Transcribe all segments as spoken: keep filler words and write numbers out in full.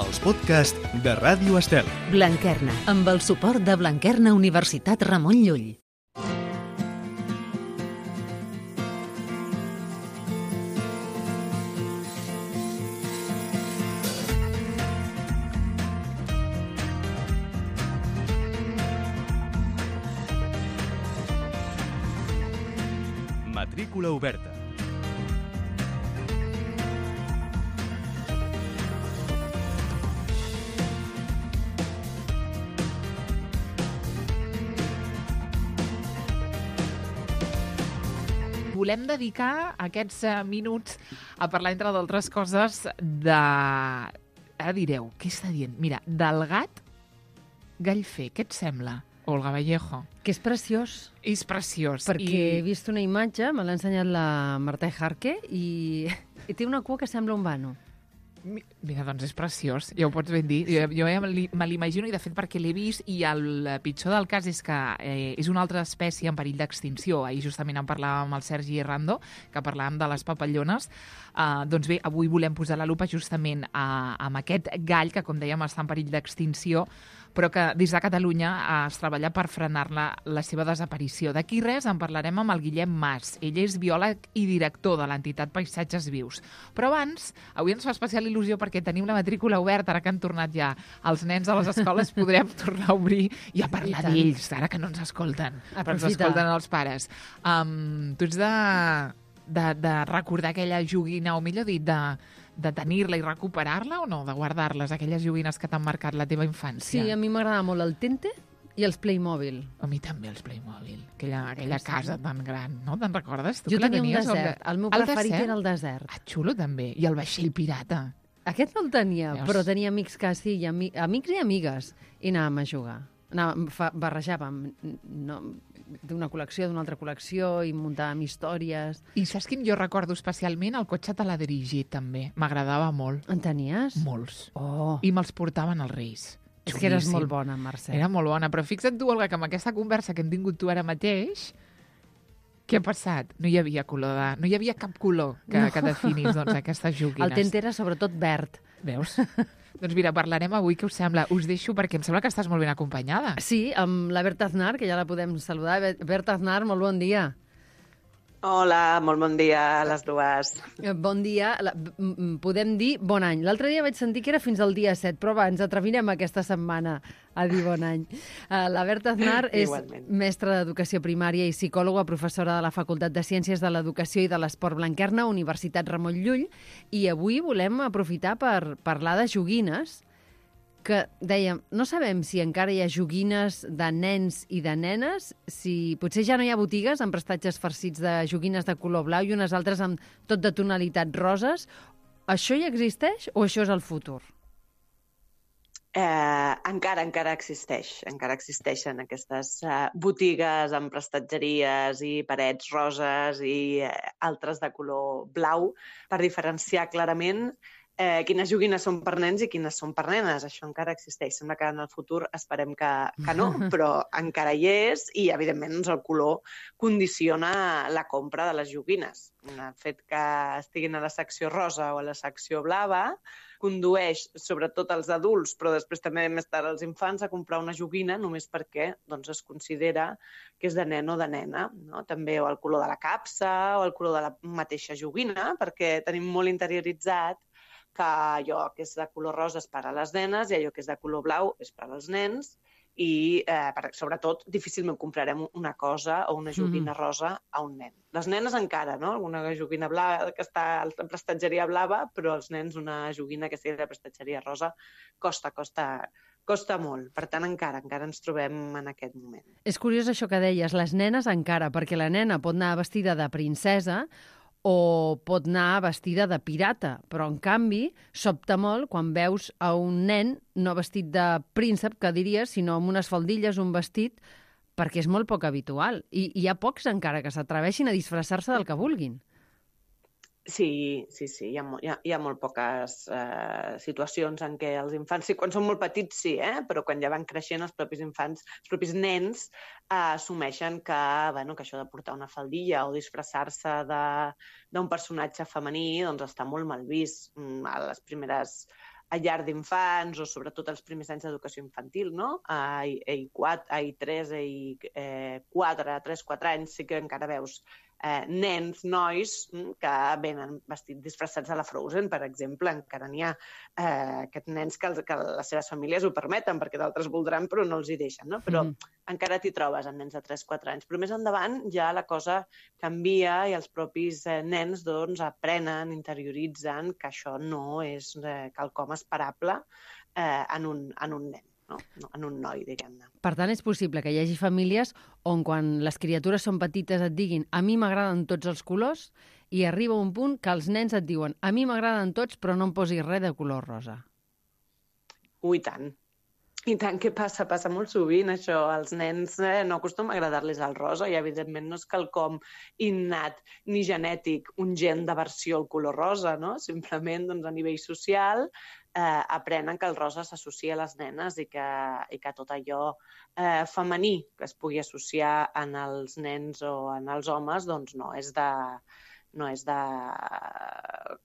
els podcasts de Ràdio Estel. Blanquerna, amb el suport de Blanquerna Universitat Ramon Llull. Matrícula oberta. Volem dedicar aquests eh, minuts a parlar, entre d'altres coses, de... Ara direu, què està dient? Mira, del gat Gallfer, què et sembla, Olga Vallejo? Que és preciós. És preciós. Perquè I... he vist una imatge, me l'ha ensenyat la Marta Jarque, i... i té una cua que sembla un vano. Mira, doncs és preciós, ja ho pots ben dir. Jo, jo ja me l'imagino, i de fet perquè l'he vist, i el pitjor del cas és que eh, és una altra espècie en perill d'extinció. Ahir justament en parlàvem amb el Sergi Rando, que parlàvem de les papallones. Uh, doncs bé, avui volem posar la lupa justament a, amb aquest gall que, com dèiem, està en perill d'extinció, però que des de Catalunya es treballa per frenar-la la seva desaparició. D'aquí res en parlarem amb el Guillem Mas. Ell és biòleg i director de l'entitat Paisatges Vius. Però abans, avui ens fa especial il·lusió perquè tenim la matrícula oberta, ara que han tornat ja els nens a les escoles, podrem tornar a obrir i a parlar d'ells, ara que no ens escolten, però ens escolten els pares. Um, tu ets de, de, de recordar aquella joguina, o millor dit, de... de tenir-la i recuperar-la o no? De guardar-les, aquelles joguines que t'han marcat la teva infància? Sí, a mi m'agradava molt el Tente i els Playmobil. A mi també els Playmobil. Aquella, aquella sí. casa tan gran, no? Te'n recordes? Tu jo tenia un tenies, desert. El, el meu el preferit desert? Era el desert. Ah, xulo també. I el vaixell pirata. Aquest no el tenia, Veus? Però tenia amics que sí, i ami amics i amigues. I anàvem a jugar. Anàvem, fa, barrejàvem no, d'una col·lecció, d'una altra col·lecció, i muntàvem històries. I saps quin jo recordo especialment? El cotxe teledrigit, també. M'agradava molt. En tenies? Molts. Oh. I me'ls portaven als Reis. És Xulíssim. Que eres molt bona, Mercè. Era molt bona, però fixa't tu, Olga, que amb aquesta conversa que hem tingut tu ara mateix, què ha passat? No hi havia color de... No hi havia cap color que, no. que definís doncs, aquestes joguines. El Tente era sobretot verd. Veus? Doncs mira, parlarem avui, què us sembla? Us deixo perquè em sembla que estàs molt ben acompanyada. Sí, amb la Berta Aznar, que ja la podem saludar. Berta Aznar, molt bon dia. Hola, molt bon dia a les dues. Bon dia. Podem dir bon any. L'altre dia vaig sentir que era fins al dia set, però va, ens atrevirem aquesta setmana a dir bon any. La Berta Aznar és Igualment. mestra d'Educació Primària i psicòloga, professora de la Facultat de Ciències de l'Educació i de l'Esport Blanquerna, Universitat Ramon Llull, i avui volem aprofitar per parlar de joguines, que dèiem, no sabem si encara hi ha joguines de nens i de nenes, si potser ja no hi ha botigues amb prestatges farcits de joguines de color blau i unes altres amb tot de tonalitats roses. Això ja existeix o això és el futur? Eh, encara, encara existeix. Encara existeixen aquestes eh, botigues amb prestatgeries i parets roses i eh, altres de color blau per diferenciar clarament Eh, quines joguines són per nens i quines són per nenes. Això encara existeix. Sembla que en el futur esperem que, que no, però encara hi és i, evidentment, doncs, el color condiciona la compra de les joguines. El fet que estiguin a la secció rosa o a la secció blava condueix, sobretot als adults, però després també més tard als infants, a comprar una joguina només perquè doncs, es considera que és de nen o de nena. No? També o el color de la capsa o el color de la mateixa joguina, perquè tenim molt interioritzat que allò que és de color rosa és per a les nenes i allò que és de color blau és per als nens i, eh, per, sobretot, difícilment comprarem una cosa o una joguina mm. rosa a un nen. Les nenes encara, no? Alguna joguina blava que està a la prestatgeria blava, però els nens una joguina que sigui de prestatgeria rosa costa, costa, costa molt. Per tant, encara, encara ens trobem en aquest moment. És curiós això que deies, les nenes encara, perquè la nena pot anar vestida de princesa o pot anar vestida de pirata, però en canvi sobta molt quan veus a un nen no vestit de príncep, que diries, sinó amb unes faldilles, un vestit, perquè és molt poc habitual. I hi ha pocs encara que s'atreveixin a disfressar-se del que vulguin. Sí, sí, sí, hi ha, hi ha, hi ha molt poques eh, situacions en què els infants, sí, quan són molt petits sí, eh? Però quan ja van creixent els propis infants, els propis nens eh, assumeixen que, bueno, que això de portar una faldilla o disfressar-se d'un personatge femení doncs està molt mal vist. A les primeres a llar d'infants o sobretot els primers anys d'educació infantil, no? A I quatre, a I tres, a I quatre, tres, quatre anys sí que encara veus eh, nens, nois que venen vestits disfressats a la Frozen, per exemple. Encara n'hi ha eh, aquests nens que, els, que les seves famílies ho permeten, perquè d'altres voldran però no els hi deixen, no? Però mm. encara t'hi trobes amb nens de tres quatre anys. Però més endavant ja la cosa canvia i els propis eh, nens doncs, aprenen, interioritzen que això no és eh, quelcom esperable eh, en, un, en un nen. No, no, en un noi, diguem-ne. Per tant, és possible que hi hagi famílies on quan les criatures són petites et diguin a mi m'agraden tots els colors i arriba un punt que els nens et diuen a mi m'agraden tots però no em posis res de color rosa. Ui, tant. I tant, què passa? Passa molt sovint, això. Els nens eh, no acostuma a agradar-los el rosa i, evidentment, no és quelcom innat ni genètic, un gen d'aversió al color rosa, no? Simplement, doncs, a nivell social, eh, aprenen que el rosa s'associa a les nenes i que, i que tot allò eh, femení que es pugui associar en els nens o en els homes, doncs no és de... no és de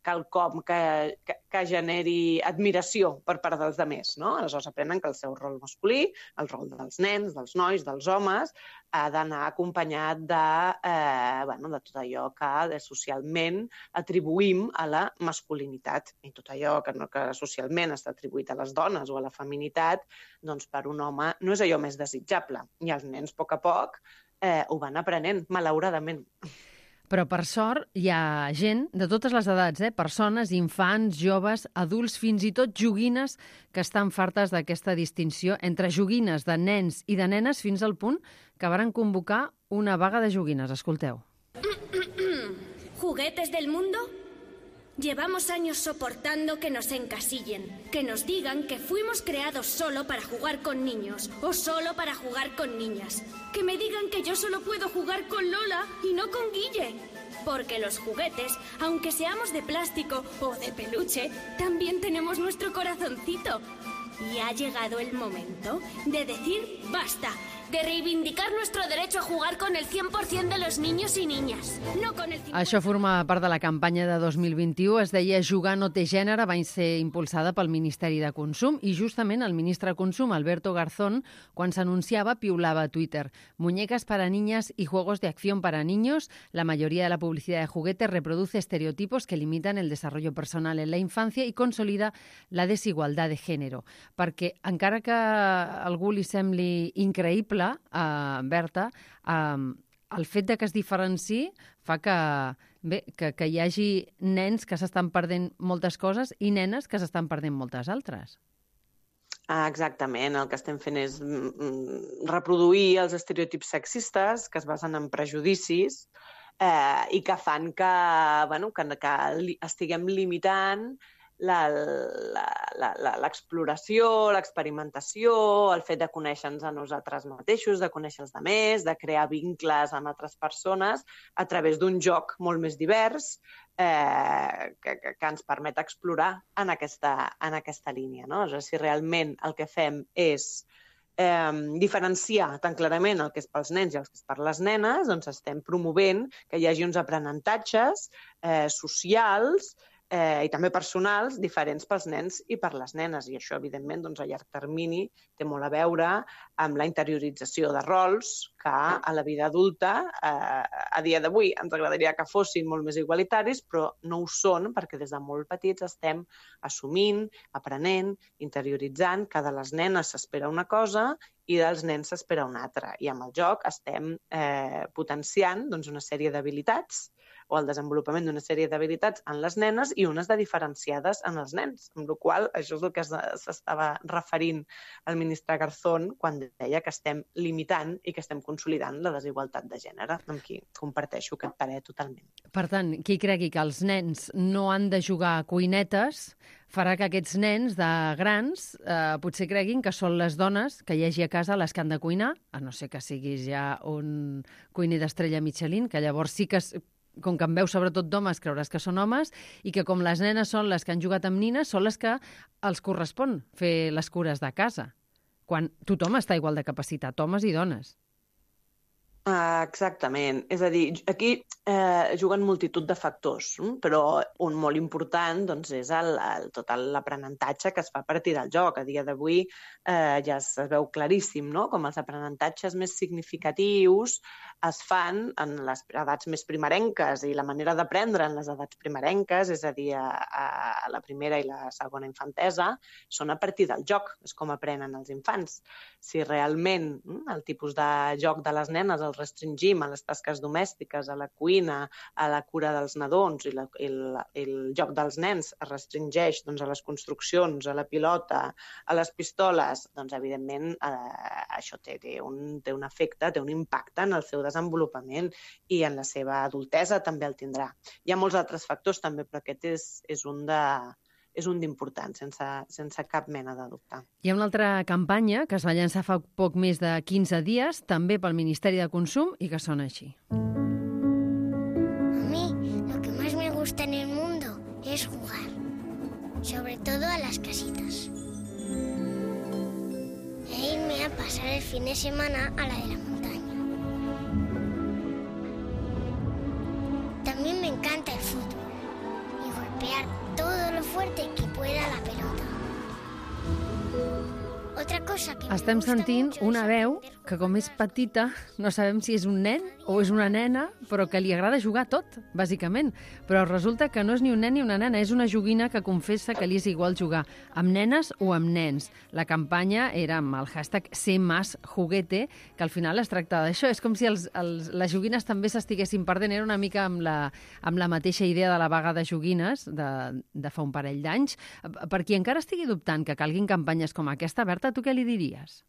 quelcom que, que, que generi admiració per part dels altres, no? Aleshores aprenen que el seu rol masculí, el rol dels nens, dels nois, dels homes, ha d'anar acompanyat de, eh, bueno, de tot allò que socialment atribuïm a la masculinitat. I tot allò que, no, que socialment està atribuït a les dones o a la feminitat, doncs per un home no és allò més desitjable. I els nens, a poc a poc, eh, ho van aprenent, malauradament. Però, per sort, hi ha gent de totes les edats, eh? Persones, infants, joves, adults, fins i tot joguines que estan fartes d'aquesta distinció entre joguines de nens i de nenes fins al punt que varen convocar una vaga de joguines. Escolteu. ¿Juguetes del mundo? Llevamos años soportando que nos encasillen, que nos digan que fuimos creados solo para jugar con niños o solo para jugar con niñas. Que me digan que yo solo puedo jugar con Lola y no con Guille. Porque los juguetes, aunque seamos de plástico o de peluche, también tenemos nuestro corazoncito. Y ha llegado el momento de decir basta, de reivindicar nuestro derecho a jugar con el cien por ciento de los niños y niñas, no con el cincuenta por ciento. Això forma part de la campanya de dos mil vint-i-u. Es deia Jugar no té gènere, va ser impulsada pel Ministeri de Consum i justament el ministre de Consum, Alberto Garzón, quan s'anunciava, piulava a Twitter: muñecas para niñas y juegos de acción para niños. La mayoría de la publicidad de juguetes reproduce estereotipos que limitan el desarrollo personal en la infancia i consolida la desigualdad de género. Perquè encara que a algú li sembli increïble, Uh, Berta, uh, el fet de que es diferenciï fa que, bé, que, que hi hagi nens que s'estan perdent moltes coses i nenes que s'estan perdent moltes altres. Ah, exactament. El que estem fent és reproduir els estereotips sexistes que es basen en prejudicis eh, i que fan que, bueno, que, que estiguem limitant l'exploració, l'experimentació, el fet de conèixer-nos a nosaltres mateixos, de conèixer els altres, de crear vincles amb altres persones a través d'un joc molt més divers eh, que, que, que ens permet explorar en aquesta, en aquesta línia. No? O sigui, si realment el que fem és eh, diferenciar tan clarament el que és pels nens i el que és per les nenes, doncs estem promovent que hi hagi uns aprenentatges eh, socials Eh, i també personals diferents pels nens i per les nenes. I això, evidentment, doncs, a llarg termini té molt a veure amb la interiorització de rols que a la vida adulta, eh, a dia d'avui, ens agradaria que fossin molt més igualitaris, però no ho són perquè des de molt petits estem assumint, aprenent, interioritzant que de les nenes s'espera una cosa i dels nens s'espera una altra. I amb el joc estem eh, potenciant doncs, una sèrie d'habilitats o el desenvolupament d'una sèrie d'habilitats en les nenes i unes de diferenciades en els nens. Amb la qual cosa, això és el que s'estava referint el ministre Garzón quan deia que estem limitant i que estem consolidant la desigualtat de gènere, amb qui comparteixo aquest parer totalment. Per tant, qui cregui que els nens no han de jugar a cuinetes farà que aquests nens de grans eh, potser creguin que són les dones que hi hagi a casa les que han de cuinar, a no ser que siguis ja un cuiner d'estrella Michelin, que llavors sí que... com que en veus sobretot d'homes, creuràs que són homes, i que com les nenes són les que han jugat amb nines, són les que els correspon fer les cures de casa, quan tothom està igual de capacitat, homes i dones. Uh, exactament. És a dir, aquí eh, juguen multitud de factors, hm? Però un molt important doncs, és el, el, tot l'aprenentatge que es fa a partir del joc. A dia d'avui eh, ja es veu claríssim, no?, com els aprenentatges més significatius es fan en les edats més primerenques, i la manera d'aprendre en les edats primerenques, és a dir, a, a la primera i la segona infantesa, són a partir del joc, és com aprenen els infants. Si realment hm, el tipus de joc de les nenes el restringim a les tasques domèstiques, a la cuina, a la cura dels nadons, i, la, i el, el joc dels nens es restringeix doncs, a les construccions, a la pilota, a les pistoles, doncs evidentment eh, això té, té, un, té un efecte, té un impacte en el seu desenvolupament, i en la seva adultesa també el tindrà. Hi ha molts altres factors també, però aquest és, és un de... és un d'important, sense, sense cap mena de dubte. Hi ha una altra campanya que es va llançar fa poc més de quinze dies, també pel Ministeri de Consum, i que sona així. A mí lo que más me gusta en el mundo es jugar, sobre todo a las casitas. E irme a pasar el fin de semana a la de la montaña. También me encanta el fútbol y golpear todo lo fuerte que pueda la pelota. Otra cosa que Estem sentint una veu que, com és petita, no sabem si és un nen o és una nena, però que li agrada jugar tot, bàsicament. Però resulta que no és ni un nen ni una nena, és una joguina que confessa que li és igual jugar amb nenes o amb nens. La campanya era amb el hashtag Sé Más Juguete, que al final es tracta d'això. És com si els, els, les joguines també s'estiguessin perdent. Era una mica amb la, amb la mateixa idea de la vaga de joguines de, de fa un parell d'anys. Per qui encara estigui dubtant que calguin campanyes com aquesta, Berta, tu què li diries?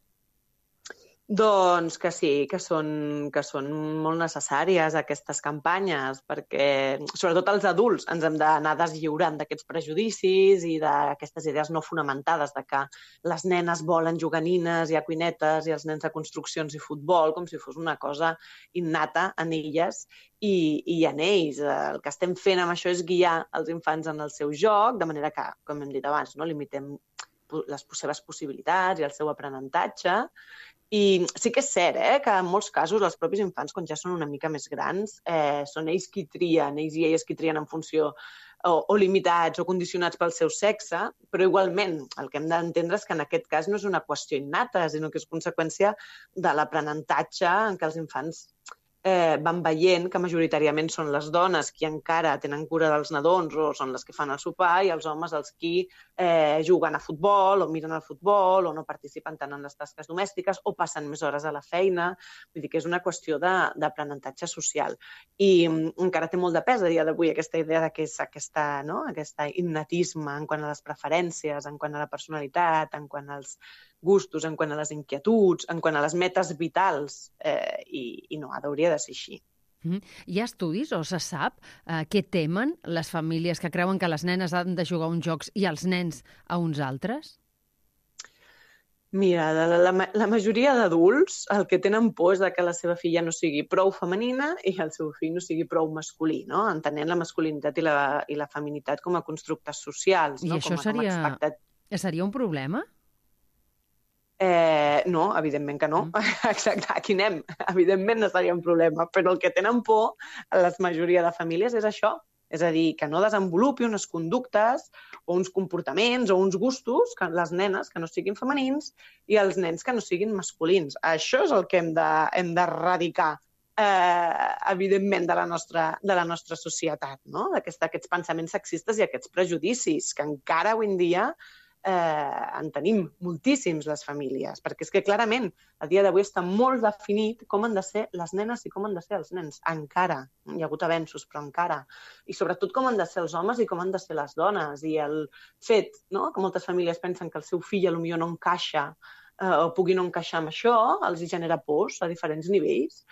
Doncs que sí, que són, que són molt necessàries aquestes campanyes, perquè sobretot els adults ens hem d'anar deslliurant d'aquests prejudicis i d'aquestes idees no fonamentades de que les nenes volen jugar a nines i a cuinetes i els nens a construccions i futbol, com si fos una cosa innata en elles i, i en ells. El que estem fent amb això és guiar els infants en el seu joc, de manera que, com hem dit abans, no limitem les seves possibilitats i el seu aprenentatge. I sí que és cert eh, que en molts casos els propis infants, quan ja són una mica més grans, eh, són ells qui trien, ells i elles qui trien en funció o, o limitats o condicionats pel seu sexe, però igualment el que hem d'entendre és que en aquest cas no és una qüestió innata, sinó que és conseqüència de l'aprenentatge en què els infants eh, van veient que majoritàriament són les dones qui encara tenen cura dels nadons o són les que fan el sopar i els homes els qui eh, juguen a futbol o miren el futbol o no participen tant en les tasques domèstiques o passen més hores a la feina. Vull dir que és una qüestió d'aprenentatge social. I um, encara té molt de pes a dia d'avui aquesta idea de que és aquesta, no? Aquesta innatisme en quant a les preferències, en quant a la personalitat, en quant als gustos, en quant a les inquietuds, en quant a les metes vitals, eh, i, i no, hauria de ser així. Mm. Hi ha estudis o se sap eh, què temen les famílies que creuen que les nenes han de jugar a uns jocs i els nens a uns altres? Mira, la, la, la majoria d'adults el que tenen por és de que la seva filla no sigui prou femenina i el seu fill no sigui prou masculí, no? Entenent la masculinitat i la, i la feminitat com a constructes socials. I no? això com a, seria, com a expectat... seria un problema? Eh, no, evidentment que no. Mm. Exacte, aquí anem. Evidentment no seria un problema, però el que tenen por a la majoria de famílies és això. És a dir, que no desenvolupi unes conductes o uns comportaments o uns gustos, que les nenes que no siguin femenins i els nens que no siguin masculins. Això és el que hem de, hem d'erradicar, eh, evidentment, de la nostra, de la nostra societat, no? D'aquest, aquests pensaments sexistes i aquests prejudicis que encara avui en dia Eh, en tenim moltíssims les famílies, perquè és que clarament a dia d'avui està molt definit com han de ser les nenes i com han de ser els nens, encara, hi ha hagut avenços però encara, i sobretot com han de ser els homes i com han de ser les dones, i el fet, no?, que moltes famílies pensen que el seu fill potser no encaixa eh, o pugui no encaixar amb això, els hi genera pors a diferents nivells.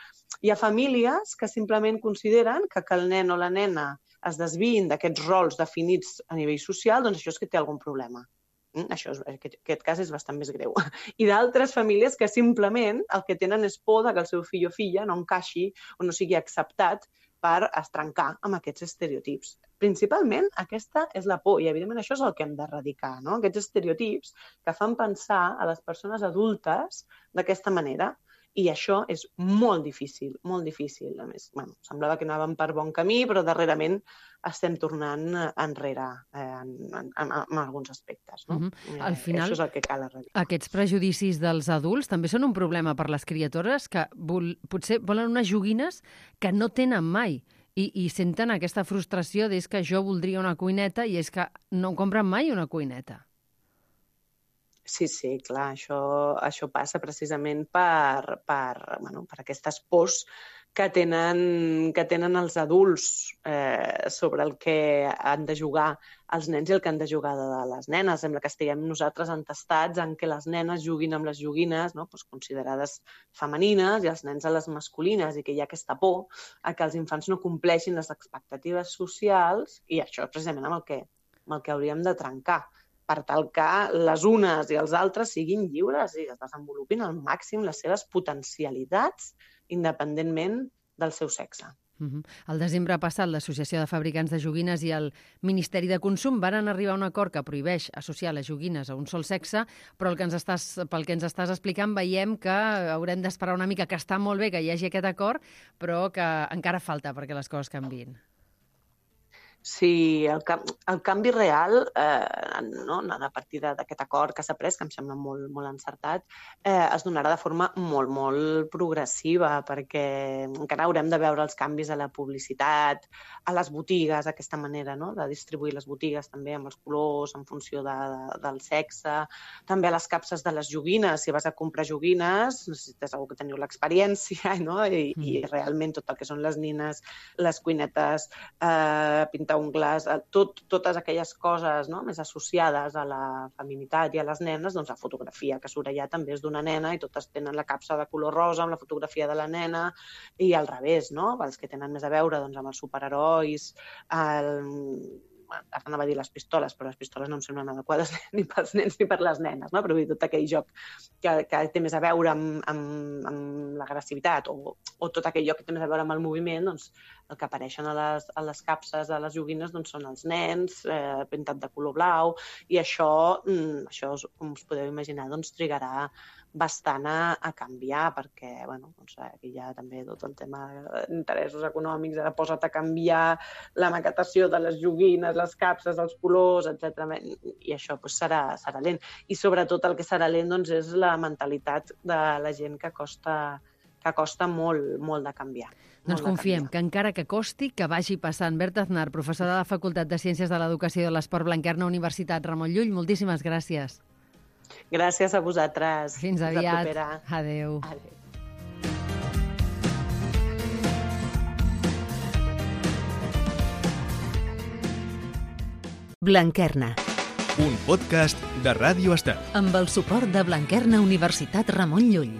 Hi ha famílies que simplement consideren que que el nen o la nena es desviïn d'aquests rols definits a nivell social, doncs això és que té algun problema. Això és, aquest, aquest cas és bastant més greu. I d'altres famílies que simplement el que tenen és por que el seu fill o filla no encaixi o no sigui acceptat per estrencar amb aquests estereotips. Principalment aquesta és la por i evidentment això és el que hem d'erradicar, no? Aquests estereotips que fan pensar a les persones adultes d'aquesta manera I això és molt difícil, molt difícil. A més, bueno, semblava que anàvem per bon camí, però darrerament estem tornant enrere eh, en, en, en, en alguns aspectes. No? Uh-huh. Al final, això és el que cal arreglar. Aquests prejudicis dels adults també són un problema per les criatures que vol, potser volen unes joguines que no tenen mai i, i senten aquesta frustració d'és que jo voldria una cuineta i és que no compren mai una cuineta. Sí, sí, clar, això, això passa precisament per, per, bueno, per aquestes pors que tenen, que tenen els adults eh, sobre el que han de jugar els nens i el que han de jugar de les nenes. Sembla que estiguem nosaltres entestats en que les nenes juguin amb les joguines, no? Pues considerades femenines i els nens a les masculines, i que hi ha aquesta por a que els infants no compleixin les expectatives socials, i això és precisament amb el que, amb el que hauríem de trencar, per tal que les unes i els altres siguin lliures i es desenvolupin al màxim les seves potencialitats independentment del seu sexe. Uh-huh. El desembre passat, l'Associació de Fabricants de Joguines i el Ministeri de Consum varen arribar a un acord que prohibeix associar les joguines a un sol sexe, però el que ens estàs, pel que ens estàs explicant veiem que haurem d'esperar una mica, que està molt bé que hi hagi aquest acord, però que encara falta perquè les coses canviïn. Sí, el, el canvi real, eh, no, a partir d'aquest acord que s'ha pres, que em sembla molt, molt encertat, eh, es donarà de forma molt, molt progressiva, perquè encara haurem de veure els canvis a la publicitat, a les botigues, aquesta manera, no?, de distribuir les botigues també amb els colors, en funció de, de, del sexe, també a les capses de les joguines. Si vas a comprar joguines, necessites algú que teniu l'experiència, no?, I, mm. i realment tot el que són les nines, les cuinetes, eh, ungles, tot, totes aquelles coses, no?, més associades a la feminitat i a les nenes, doncs la fotografia que surt allà també és d'una nena i totes tenen la capsa de color rosa amb la fotografia de la nena, i al revés, no?, els que tenen més a veure doncs, amb els superherois, el... ara anava a dir les pistoles, però les pistoles no em semblen adequades ni pels nens ni per les nenes, no? Però vull dir, tot aquell joc que, que té més a veure amb, amb, amb l'agressivitat o, o tot aquell joc que té més a veure amb el moviment, doncs el que apareixen a les, a les capses de les joguines doncs, són els nens, eh, pintat de color blau, i això, mm, això com us podeu imaginar, doncs trigarà bastant a, a canviar, perquè bueno, doncs, aquí hi ha també tot el tema d'interessos econòmics, ara posa't a canviar la maquetació de les joguines, les capses, els colors, etcètera. I això doncs, serà, serà lent. I sobretot el que serà lent doncs, és la mentalitat de la gent que costa, que costa molt, molt de canviar. Doncs confiem que encara que costi, que vagi passant. Berta Aznar, professora de la Facultat de Ciències de l'Educació i de l'Esport, Blanquerna, Universitat Ramon Llull, moltíssimes gràcies. Gràcies a vosaltres. Fins aviat. Adéu. Adéu. Blanquerna. Un podcast de Ràdio Estel. Amb el suport de Blanquerna Universitat Ramon Llull.